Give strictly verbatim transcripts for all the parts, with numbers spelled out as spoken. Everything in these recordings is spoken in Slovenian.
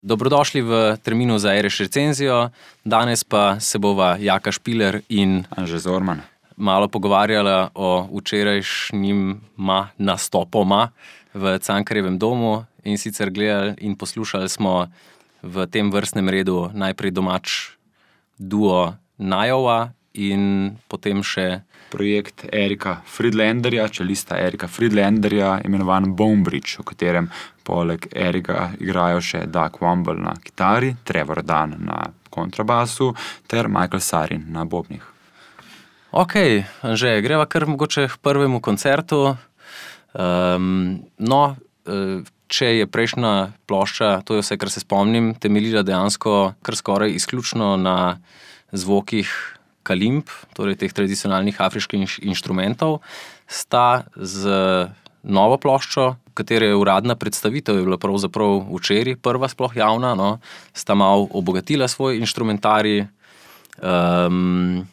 Dobrodošli v terminu za Ereš recenzijo. Danes pa se bova Jaka Špiler in Anže Zorman malo pogovarjala o včerajšnjima nastopoma v Cankarjevem domu, in sicer gledali in poslušali smo v tem vrstnem redu najprej domač duo Najova in potem še projekt Erika Friedlanderja, čelista Erika Friedlanderja, imenovan Bonebridge, v katerem poleg Erika igrajo še Doug Womble na kitari, Trevor Dunn na kontrabasu ter Michael Sarin na bobnih. Ok, Anže, greva kar mogoče k prvemu koncertu. Um, no, če je prejšnja plošča, to je vse, kar se spomnim, temeljila dejansko kar skoraj izključno na zvokih kalimb, torej teh tradicionalnih afriških inštrumentov, sta z novo ploščo, katere uradna predstavitev je bila pravzaprav včeraj, prva sploh javna, no, sta malo obogatila svoj inštrumentarij. Um,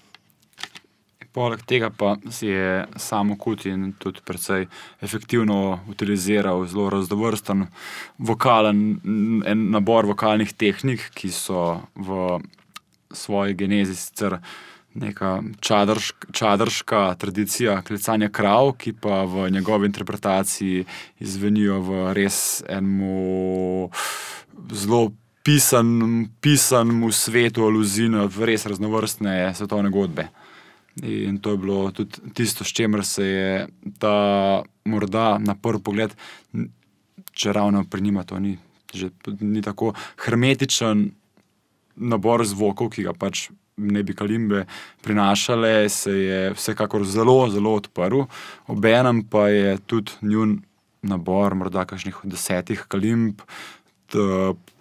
Poleg tega pa si je Samo Kutin tudi precej efektivno utiliziral zelo raznovrsten vokalen, en nabor vokalnih tehnik, ki so v svoji genezi sicer neka čadrška, čadrška tradicija klicanja krav, ki pa v njegovi interpretaciji izvenijo v res enemu zelo pisan, pisanemu svetu aluzij na res raznovrstne svetovne godbe. In to je bilo tudi tisto, s čemer se je ta morda na prvi pogled, če ravno pri njima to ni, že, ni tako hermetičen nabor zvokov, ki ga pač ne bi kalimbe prinašale, se je vsekakor zelo, zelo odprl. Obenem pa je tudi njun nabor, morda kakšnih desetih kalimb,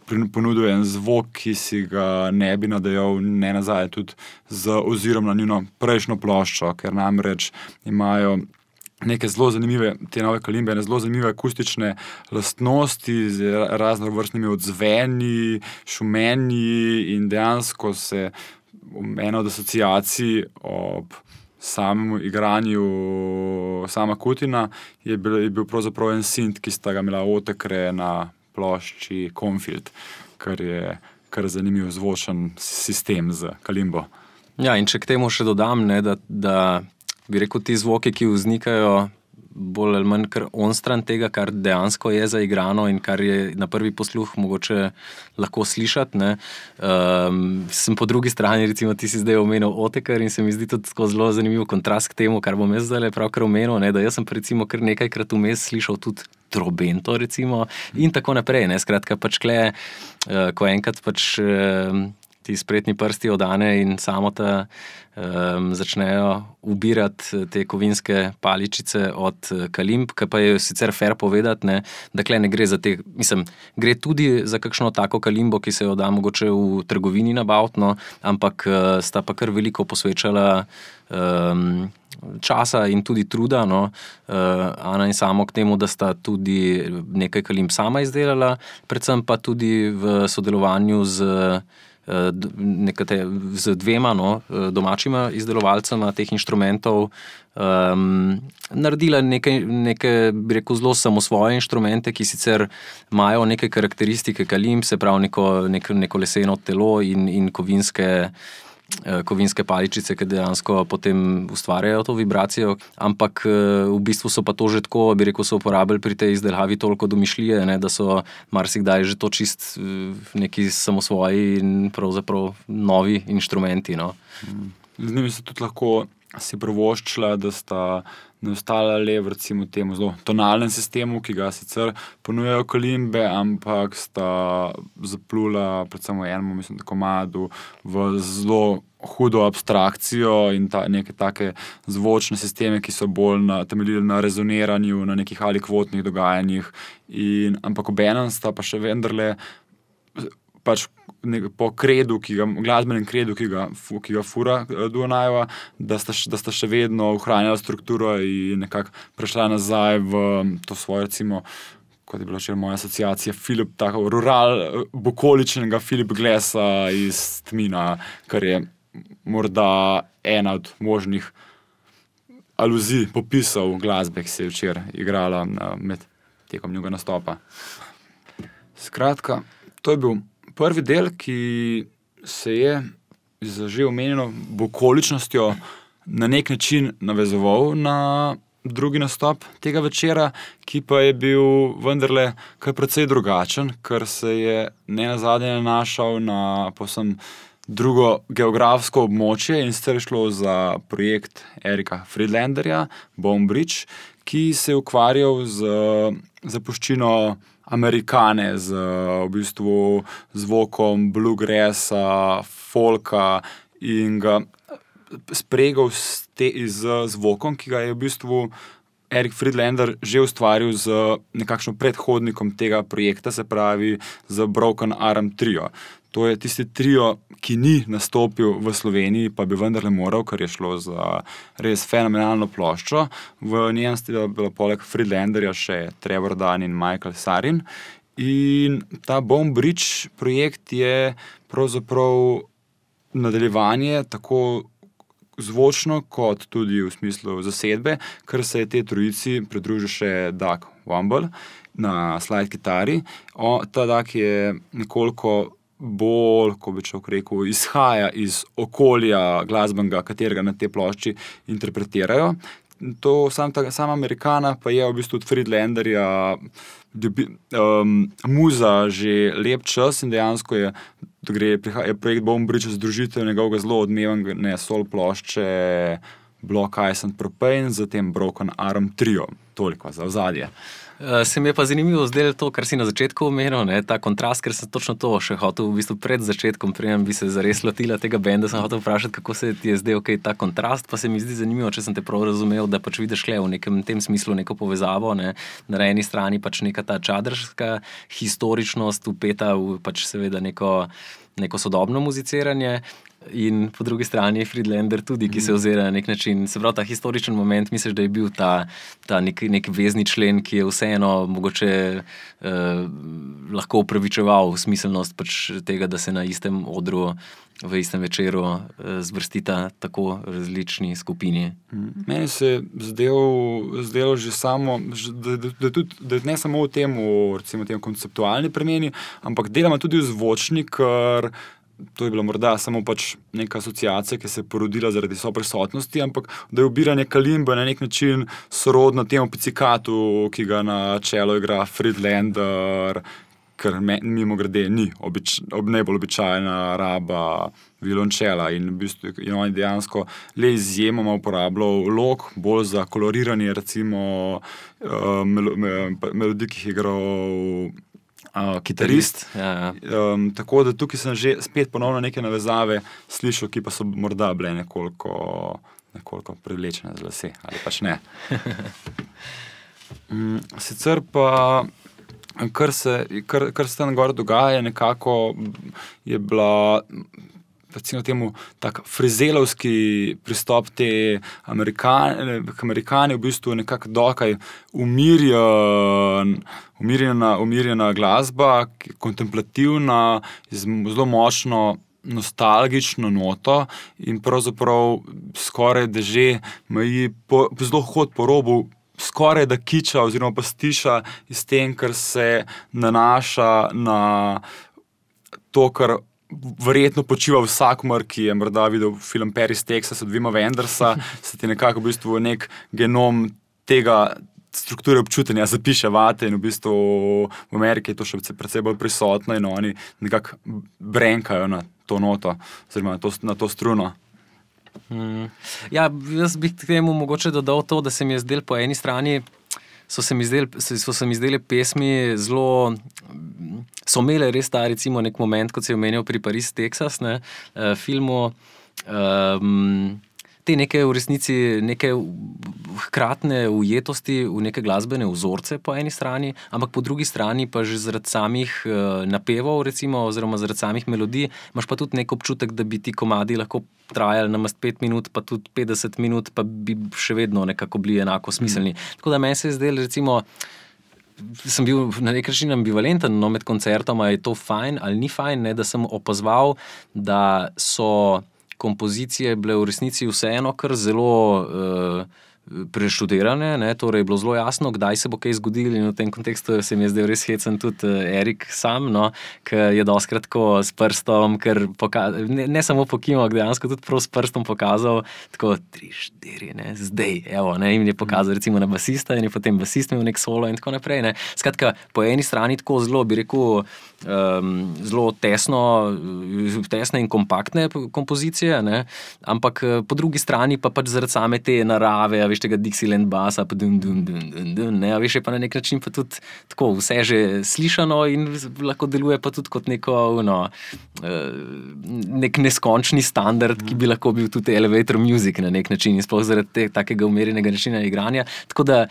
ponudil en zvok, ki si ga ne bi nadejal ne nazaj tudi z ozirom na njuno prejšnjo ploščo, ker namreč imajo neke zelo zanimive, te nove kalimbe, ne zelo zanimive akustične lastnosti z raznovrstnimi odzveni, šumenji, in dejansko se ena od asociacij ob samemu igranju Sama Kutina je bil, je bil pravzaprav en synth, ki sta ga imela Otekre na plošči Confield, kar je kar zanimiv zvočen sistem z kalimbo. Ja, in če k temu še dodam, ne, da, da bi rekel, ti zvoki, ki vznikajo bolj ali manj kar onstran tega, kar dejansko je zaigrano in kar je na prvi posluh mogoče lahko slišati, ne. Um, sem po drugi strani, recimo ti si zdaj omenil Otekar, in se mi zdi tudi tako zelo zanimiv kontrast k temu, kar bom jaz zdaj pravkar omenil, ne, da jaz sem recimo kar nekajkrat vmes slišal tudi trobento, recimo, in tako naprej, ne. Skratka, pač kle, uh, ko enkrat pač uh, ti spretni prsti od Ane in Samota um, začnejo ubirati te kovinske paličice od kalimb, ki pa je sicer fair povedati, ne, da kle ne gre za te, mislim, gre tudi za kakšno tako kalimbo, ki se jo da mogoče v trgovini nabaviti, no, ampak uh, sta pa kar veliko posvečala um, časa in tudi truda, no, uh, Ana in Samo k temu, da sta tudi nekaj kalimb sama izdelala, predvsem pa tudi v sodelovanju z nekate, z dvema, no, domačima izdelovalcema teh inštrumentov um, naredila neke, neke, bi rekel, zelo samosvoje inštrumente, ki sicer imajo neke karakteristike kalimb, se pravi neko, neko, neko leseno telo in, in kovinske kovinske paličice, ki dejansko potem ustvarjajo to vibracijo, ampak v bistvu so pa to že tako, bi rekel, so uporabili pri tej izdelavi toliko domišljije, ne, da so marsikdaj že to čist neki samosvoji in pravzaprav novi inštrumenti, no. Z njimi se tudi lahko si privoščila, da sta ne ostala le v recimo temu zelo tonalnem sistemu, ki ga sicer ponujajo kalimbe, ampak sta zaplula predvsem v enem, mislim, komadu v zelo hudo abstrakcijo in ta, neke take zvočne sisteme, ki so bolj na, temeljili na rezoniranju, na nekih alikvotnih dogajanjih, in, ampak obenem sta pa še vendarle pač po kredu, ki ga, glasbenem kredu, ki ga, ki ga fura duo Najova, da sta, da sta še vedno ohranjala strukturo in nekako prešla nazaj v to svoje, recimo, kot je bila še moja asociacija, Philip, tako rural, bukoličnega Philip Glassa iz Tmina, kar je morda ena od možnih aluzij, popisov glasbe, ki se je včeraj igrala med tekom njega nastopa. Skratka, To je bil prvi del, ki se je z že omenjeno okoličnostjo na nek način navezoval na drugi nastop tega večera, ki pa je bil vendarle kar precej drugačen, ker se je ne nazadnje nanašal na povsem drugo geografsko območje in sicer je šlo za projekt Erika Friedlanderja, Bone Bridge, ki se je ukvarjal z zapuščino Amerikane, z v bistvu zvokom bluegrassa, folka in ga spregal z, te, z zvokom, ki ga je v bistvu Erik Friedlander že ustvaril z nekakšnim predhodnikom tega projekta, se pravi z Broken Arm Trio. To je tisti trio, ki ni nastopil v Sloveniji, pa bi vendarle moral, ker je šlo za res fenomenalno ploščo. V njem sta bila poleg Friedlanderja še Trevor Dunn in Michael Sarin. In ta Bone Bridge projekt je pravzaprav nadaljevanje tako zvočno kot tudi v smislu zasedbe, ker se je te trojici pridružil še Doug Womble na slide kitari. O, ta Doug je nekoliko bolj, ko bi človek rekel, izhaja iz okolja glasbenega, katerega na te plošči interpretirajo. To, sam, ta, sama Amerikana pa je v bistvu od Friedlanderja um, muza že lep čas in dejansko je, gre, je projekt Bone Bridge združitev njegovega zelo odmevne sol plošče Block Ice and Propane z tem Broken Arm Trio. Toliko za ozadje. Se mi je pa zanimivo zdelo to, kar si na začetku omenil, ne, ta kontrast, ker sem točno to še hotel v bistvu pred začetkom, preden bi se zares lotila tega benda, sem hotel vprašati, kako se ti je zdel okay, ta kontrast, pa se mi zdi zanimivo, če sem te prav razumel, da pač vidiš le v nekem tem smislu neko povezavo, ne, na eni strani pač neka ta čadrska historičnost upeta v pač seveda neko, neko sodobno muziciranje, in po drugi strani Friedlander tudi, ki se ozira na nek način. Se pravi, ta historičen moment, misliš, da je bil ta, ta nek, nek vezni člen, ki je vseeno mogoče eh, lahko upravičeval smiselnost pač tega, da se na istem odru, v istem večeru eh, zvrstita tako različni skupini. Meni se je zdelo, zdelo že samo, da, da, da, tudi, da ne samo v tem, recimo tem konceptualni premeni, ampak delamo tudi v zvočni, ker to je bila morda samo pač neka asociacija, ki se je porodila zaradi soprisotnosti, ampak da je ubiranje kalimbe na nek način sorodno temu pizikatu, ki ga na čelo igra Friedlander, ker mimo grede ni obič, ob najbolj običajna raba violončela in v bistvu in on dejansko le izjemoma uporabljal lok, bolj za koloriranje recimo uh, melo, melodij, ki jih je igral Uh, kitarist. Ja, ja. Um, tako da tukaj sem že spet ponovno neke navezave slišal, ki pa so morda bile nekoliko, nekoliko privlečene z lase, ali pač ne. um, sicer pa, kar se, kar, kar se tam gor dogaja, nekako je bila recimo temu tak frizelovski pristop te Amerikane, Amerikane v bistvu nekako dokaj umirjen, umirjena, umirjena glasba, kontemplativna, z zelo močno nostalgično noto in pravzaprav skoraj da že meji po, zelo hod po robu skoraj da kiča oziroma pastiša iz tem, kar se nanaša na to, kar verjetno počiva vsakomur, ki je morda videl film Paris, Texas od Wima Wendersa, se ti nekako v bistvu nek genom tega strukture občutenja zapiše vate in v bistvu v Ameriki je to še precej bolj prisotno in oni nekako brenkajo na to noto, oziroma na to, na to struno. Hmm. Ja, jaz bi k temu mogoče dodal to, da se mi je zdel po eni strani so se mi zdeli, so se mi zdeli pesmi zelo, so imele res ta recimo nek moment, kot se je omenil pri Paris, Texas, ne, filmu, um, te neke v resnici, neke hkratne ujetosti v neke glasbene vzorce po eni strani, ampak po drugi strani pa že zaradi samih uh, napevov recimo, oziroma zaradi samih melodij, imaš pa tudi nek občutek, da bi ti komadi lahko trajali namesto pet minut, pa tudi petdeset minut, pa bi še vedno nekako bili enako smiselni. Mm. Tako da meni se je zdelo, recimo, sem bil na nek način ambivalenten, no, med koncertoma je to fajn ali ni fajn, ne, da sem opazoval, da so kompozicije bile v resnici vseeno kar zelo uh, preštudirane, ne, torej je bilo zelo jasno, kdaj se bo kaj zgodilo in v tem kontekstu se mi je zdaj res hecen tudi Erik sam, no, ki je dostkrat tako s prstom, ker poka- ne, ne samo pokimal, dejansko tudi prav s prstom pokazal, tako tri, štiri, ne, zdaj, evo, ne, in je pokazal recimo na basista in je potem basist imel nek solo in tako naprej, ne. Skratka, po eni strani tako zelo, bi rekel, um, zelo tesno, tesne in kompaktne kompozicije, ne, ampak po drugi strani pa pač zaradi same te narave, a veš, tega Dixieland basa, pa dun, dun, dun, dun, dun, ne, a veš, je pa na nek način pa tudi tako vse že slišano in lahko deluje pa tudi kot neko, no, nek neskončni standard, ki bi lahko bil tudi elevator music na nek način in sploh zaradi te, takega umirjenega načina igranja. Tako da,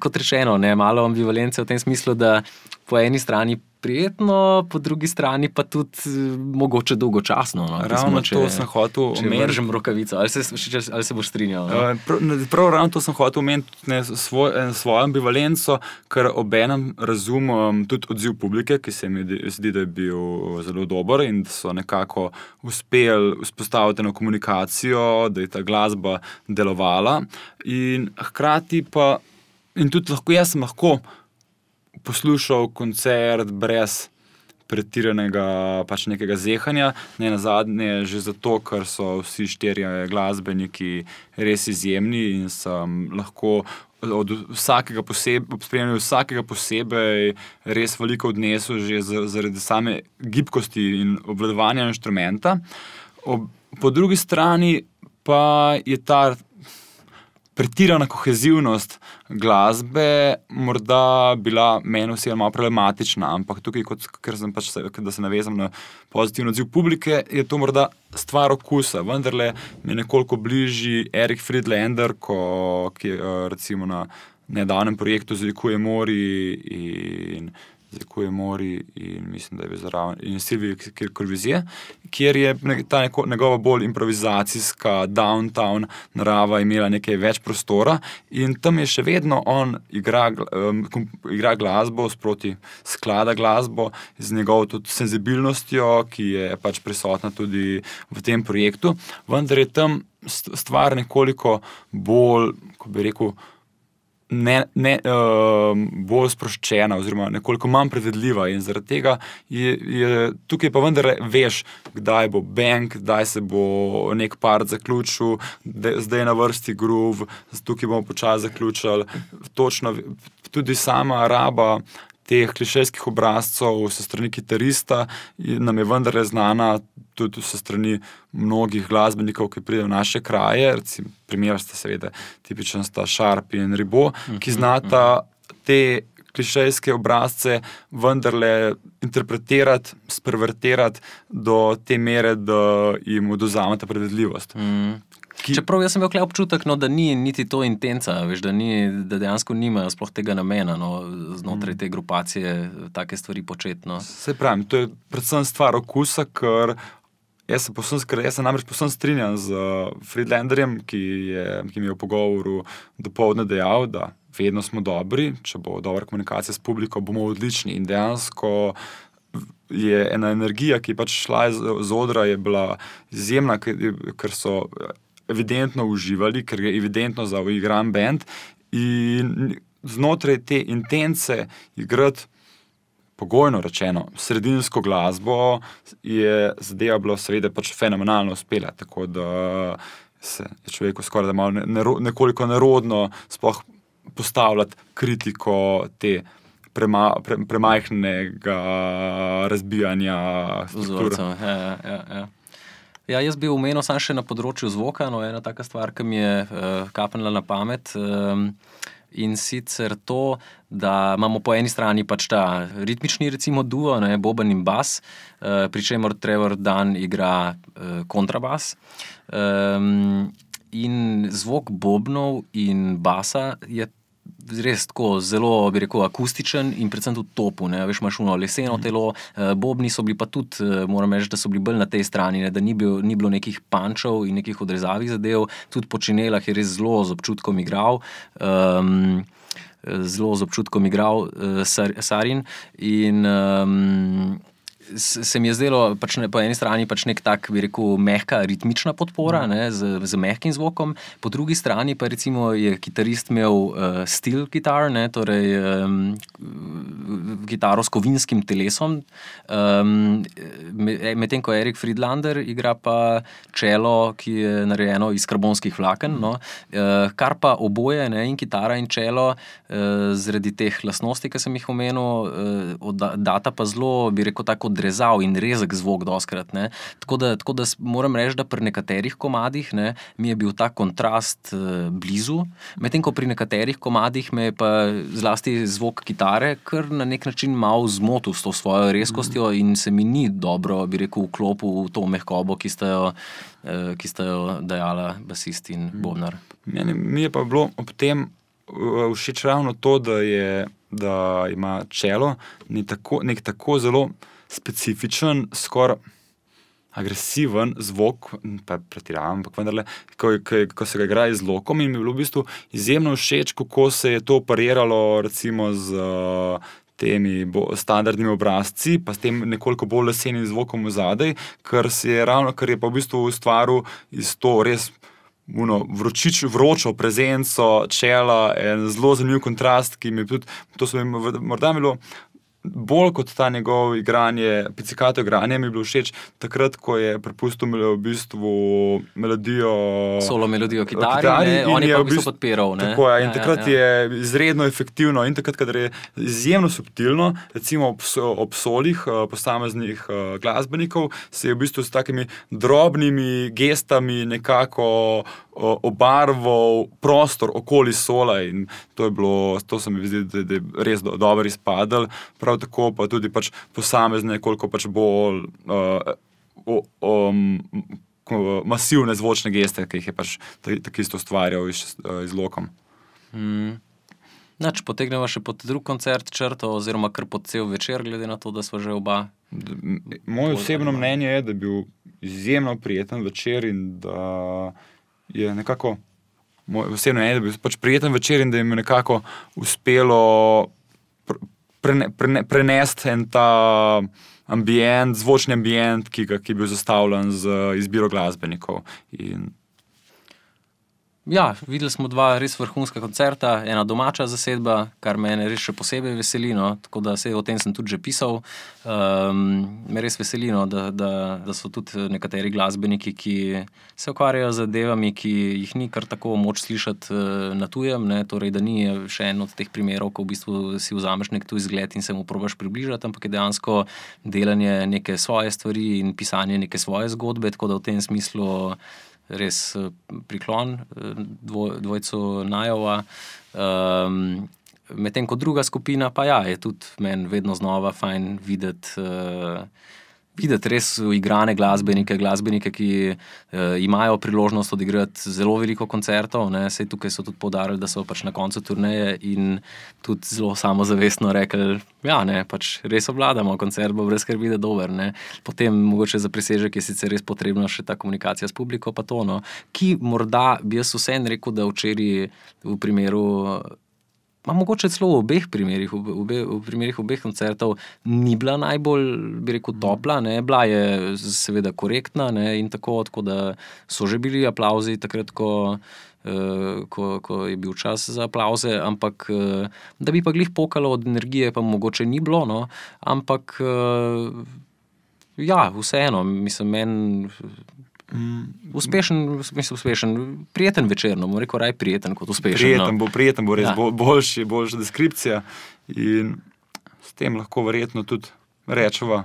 kot rečeno, ne, malo ambivalence v tem smislu, da po eni strani prijetno, po drugi strani pa tudi mogoče dolgočasno. No, ravno če, to sem hotel omeniti. Če vržem rokavico, ali se, ali se boš strinjal? No? Prav, prav ravno to sem hotel omeniti, ne, svoj, svojo ambivalenco, ker obenem razumem tudi odziv publike, ki se mi zdi, da je bil zelo dober in da so nekako uspeli vzpostaviti eno komunikacijo, da je ta glasba delovala in hkrati pa, in tudi lahko, jaz sem lahko poslušal koncert brez pretiranega pač nekega zehanja, ne nazadnje že zato, ker so vsi štirje glasbeniki res izjemni in sem lahko od vsakega posebej, ob spremljanju vsakega posebej res veliko odnesel že zaradi same gibkosti in obvladovanja inštrumenta. Ob, po drugi strani pa je ta pretirana kohezivnost glasbe morda bila meni osebno malo problematična, ampak tukaj, kot, ker sem pač se, da se navezam na pozitivno odziv publike, je to morda stvar okusa. Vendarle mi je nekoliko bližji Erik Friedlander, ko, ki je recimo na nedavnem projektu Zlikuje mori in Zlikuje mori in mislim, da je bil zraven in Silvije Korvizije, kjer je ta neko, njegova bolj improvizacijska downtown narava imela nekaj več prostora in tam je še vedno on igra, um, igra glasbo sproti sklada glasbo z njegovo tudi senzibilnostjo, ki je pač prisotna tudi v tem projektu, vendar je tam stvar nekoliko bolj, ko bi rekel, Ne, ne, uh, bolj sproščena oziroma nekoliko manj predvidljiva in zaradi tega je, je tukaj pa vendar veš, kdaj bo bang, kdaj se bo nek part zaključil, zdaj je na vrsti groove, tukaj bomo počasi zaključili. Točno, tudi sama raba teh klišejskih obrazcev se strani kitarista nam je vendar znana tudi se strani mnogih glasbenikov, ki pridejo v naše kraje, recimo primer sta seveda tipičen sta Sharp in Ribot, ki znata te klišejske obrazce vendarle interpretirati, spervertirati do te mere, da jim odvzameta predvidljivost. Mm. Ki... Čeprav jaz sem imel občutek, no, da ni niti to intenca, veš, da, ni, da dejansko nimajo sploh tega namena, no, znotraj te grupacije take stvari početi. No. Se pravim, to je predvsem stvar okusa, ker jaz se, posem, jaz se namreč posem strinjam z Friedlanderjem, ki, je, ki mi je v pogovoru dopoldne dejal, da vedno smo dobri, če bo dobra komunikacija s publiko, bomo odlični in dejansko je ena energija, ki je pač šla iz, iz odra, je bila izjemna, ker so evidentno uživali, ker je evidentno za igran band in znotraj te intence igrati pogojno rečeno sredinsko glasbo je zadeva bila seveda pač fenomenalno uspela, tako da se je človeku skoraj da malo nero, nekoliko nerodno sploh postavljati kritiko te prema, pre, premajhnega razbijanja strukture. Ja, ja, ja. Ja, jaz bi omenil samo še na področju zvoka, no, ena taka stvar, ki mi je uh, kapnila na pamet um, in sicer to, da imamo po eni strani pač ta ritmični recimo duo, ne, boben in bas, uh, pri čemer Trevor Dunn igra uh, kontrabas um, in zvok bobnov in basa je res tako zelo, bi rekel, akustičen in predvsem tudi topu, ne, veš, imaš ono leseno telo, bobni so bili pa tudi, moram reči, da so bili bolj na tej strani, ne, da ni, bil, ni bilo nekih pančev in nekih odrezavih zadev, tudi po činelah je res zelo z občutkom igral, um, zelo z občutkom igral uh, Sar, Sarin in um, se mi je zdelo pač ne, po eni strani pač nek tak, bi rekel, mehka, ritmična podpora, ne, z, z mehkim zvokom, po drugi strani pa recimo je kitarist imel uh, steel gitar, ne, torej um, kitaro s kovinskim telesom, um, medtem ko Erik Friedlander igra pa čelo, ki je narejeno iz karbonskih vlaken, no, uh, kar pa oboje, ne, in kitara in čelo, uh, zaradi teh lastnosti, ki sem jih omenil, uh, data pa zelo, bi rekel, tako odrezav in rezek zvok doskrat, ne. Tako da, tako da moram reči, da pri nekaterih komadih, ne, mi je bil ta kontrast uh, blizu, medtem ko pri nekaterih komadih me je pa zlasti zvok kitare kar na nek način malo zmotil s to svojo rezkostjo in se mi ni dobro, bi rekel, vklopil v to mehkobo, ki sta jo, uh, ki sta jo dajala basist in bobnar. Meni, mi je pa bilo ob tem uh, všeč ravno to, da je da ima čelo nek tako, nek tako zelo specifičen, skoraj agresiven zvok, pa pretiravam, ampak vendarle, ko, ko, ko se ga igra z lokom in mi je bilo v bistvu izjemno všeč, kako se je to pariralo recimo z uh, temi bo, standardnimi obrazci, pa s tem nekoliko bolj lesenim zvokom v zadej, ker se je ravno, ker je pa v bistvu ustvaril iz to res Uno, vročič, vročo prezenco čela, en zelo zanimiv kontrast, ki mi tudi, to so mi morda bilo bolj kot ta njegov igranje, pizzicato igranje mi je bilo všeč takrat, ko je prepustil v bistvu melodijo solo melodijo kitari, kitari ne, on je pa v bistvu podpiral, ne. Tako je, in ja, takrat ja, ja. je izredno efektivno in takrat, kadar je izjemno subtilno, recimo ob, ob solih posameznih glasbenikov, se je v bistvu s takimi drobnimi gestami nekako obarval prostor okoli sola in to je bilo, to se mi zdi, da, da je res do, dobro izpadel, prav tako pa tudi pač posamezne, koliko pač bolj uh, um, masivne zvočne geste, ki jih je pač tako isto ustvarjal iz, iz lokom. Mm. Nač, potegnemo še pod drug koncert črto, oziroma kar pod cel večer, glede na to, da smo že oba. Moje osebno mnenje je, da je bil izjemno prijeten večer in da je nekako, moj osebno mnenje, da je bil pač prijeten večer in da jim je nekako uspelo prene, prene, prenesti en ta ambient, zvočni ambient, ki, ga, ki je bil zastavljen z izbiro glasbenikov. In ja, videli smo dva res vrhunska koncerta, ena domača zasedba, kar mene res še posebej veseli, no, tako da se o tem sem tudi že pisal. Um, me res veseli, no, da, da, da so tudi nekateri glasbeniki, ki se ukvarjajo z zadevami, ki jih ni kar tako moč slišati uh, na tujem, ne, torej da ni še en od teh primerov, ko v bistvu si vzameš nek tuj zgled in se mu probaš približati, ampak je dejansko delanje neke svoje stvari in pisanje neke svoje zgodbe, tako da v tem smislu res priklon dvoj, dvojcu Najova. Um, medtem ko druga skupina, pa ja, je tudi meni vedno znova fajn videti, uh, videti res uigrane glasbenike, glasbenike, ki uh, imajo priložnost odigrati zelo veliko koncertov, ne, sej tukaj so tudi poudarili, da so pač na koncu turneje in tudi zelo samozavestno rekli, ja, ne, pač res obvladamo, koncert bo brez skrbi, da dober, ne. Potem mogoče za presežek je sicer res potrebna še ta komunikacija s publiko, pa to, no, ki morda bi jaz vseeno rekel, da včeraj v primeru, ma mogoče celo v obeh primerih, v, obe, v primerih obeh koncertov ni bila najbolj, bi rekel, topla, ne, bila je seveda korektna, ne, in tako, tako da so že bili aplavzi takrat, ko Uh, ko, ko je bil čas za aplavze, ampak uh, da bi pa glih pokalo od energije, pa mogoče ni bilo, no, ampak uh, ja, vseeno, mislim, meni mm. uspešen, mislim, uspešen, prijeten večer, no, bom rekel, raj prijeten kot uspešen. Prijeten no. bo, prijeten bo res ja. bo, boljši, boljša deskripcija in s tem lahko verjetno tudi rečeva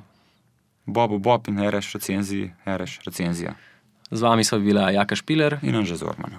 Bobu Bob in Ereš recenziji, Ereš recenzija. Z vami sva bila Jaka Špiler in Anže Zorman.